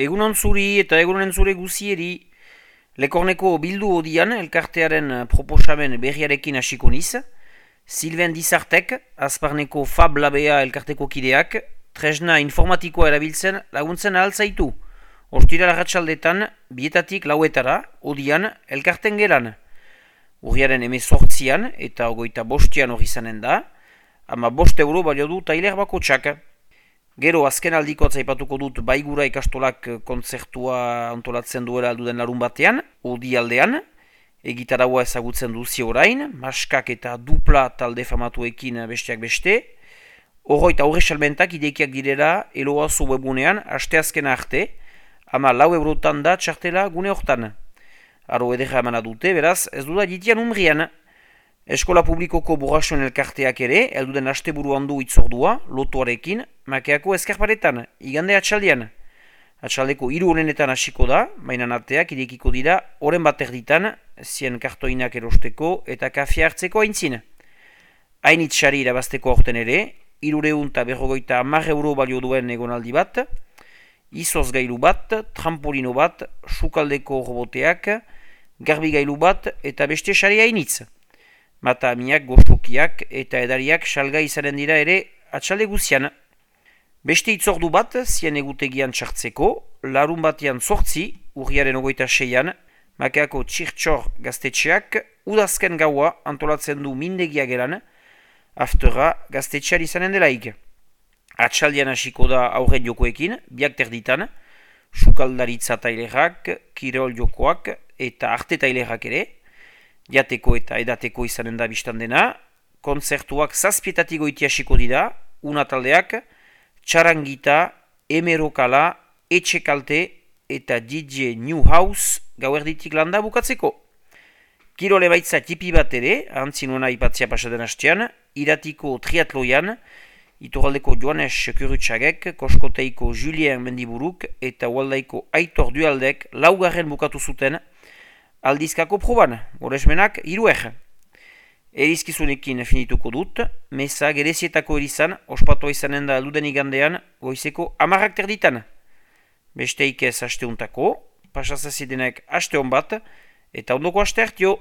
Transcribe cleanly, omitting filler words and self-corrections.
Egunon zuri eta egunonen zure guzieri, Lekorneko bildu odian elkartearen proposamen berriarekin hasiko niz. Silven Dizartek, Azparneko Fab Labea elkarteko kideak, tresna informatikoa erabiltzen laguntzen ahaltzaitu. Ostira larratsaldetan, bietatik lauetara, odian elkarten gelan. Urriaren 18an eta 25an hori izanen da, ama 5 euro balio du tailer bakotsak. Gero azken aldiko atzaipatuko dut Baigura ikastolak kontzertua antolatzen duela alduden larun batean, odi aldean, egitaraua ezagutzen duzi orain, maskak eta dupla talde famatuekin besteak beste, horro eta horre salmentak idekiak direla Eloazu webunean asteazkena arte, ama 4 eurotan da txartela gune hortan. Aro edera emana dute, beraz, ez duda jitian umrian. Eskola publikoko borrasoen elkarteak ere, elduden asteburu handu itzordua, lotuarekin, makeako eskarparetan, igande atxaldean. Atxaldeko 3 honenetan hasiko da, baina arteak irekiko dira, oren bat erditan, zien kartoinak erosteko eta kafea hartzeko aintzin. Hain itxari irabazteko horten ere, 350 euro balio duen egonaldi bat, izoz gailu bat, trampolino bat, sukaldeko roboteak, garbigailu bat eta beste sari hainitz. Mata amiak, gozokiak eta edariak salgai izanen dira ere atxalde guzian. Beste itzordu bat, zien egutegian txartzeko, larun batean 8, urriaren 26an, makeako txirtxor gaztetxeak, udazken gaua antolatzen du mindegia gelan, aftera gaztetxean izanen delaik. Atxaldean hasiko da aurren jokoekin, biak terditan, sukaldaritza tailerak, kirol jokoak eta arte tailerak ere, jateko eta edateko izanen da biztan dena, kontzertuak 7 goiti hasiko dira, una taldeak, txarangita, emerokala, etxekalte eta DJ New House gauerditik landa bukatzeko. Kirole baitza tipi bat ere, antzinuena ipatzea pasaden hastean, iratiko triatloian, Itorraldeko Joanes Kurutxagek, Koskoteiko Julien Mendiburuk eta Ualdaiko Aitor Dualdek laugarren bukatu zuten aldizkako proban, goresmenak 3. Erizkizunekin finituko dut, meza gerezietako erizan, ospatua izanen da alduden igandean, goizeko 10 terditan. Besteik ez hasteuntako, pasazazidenek haste hon bat, eta ondoko haste hartio.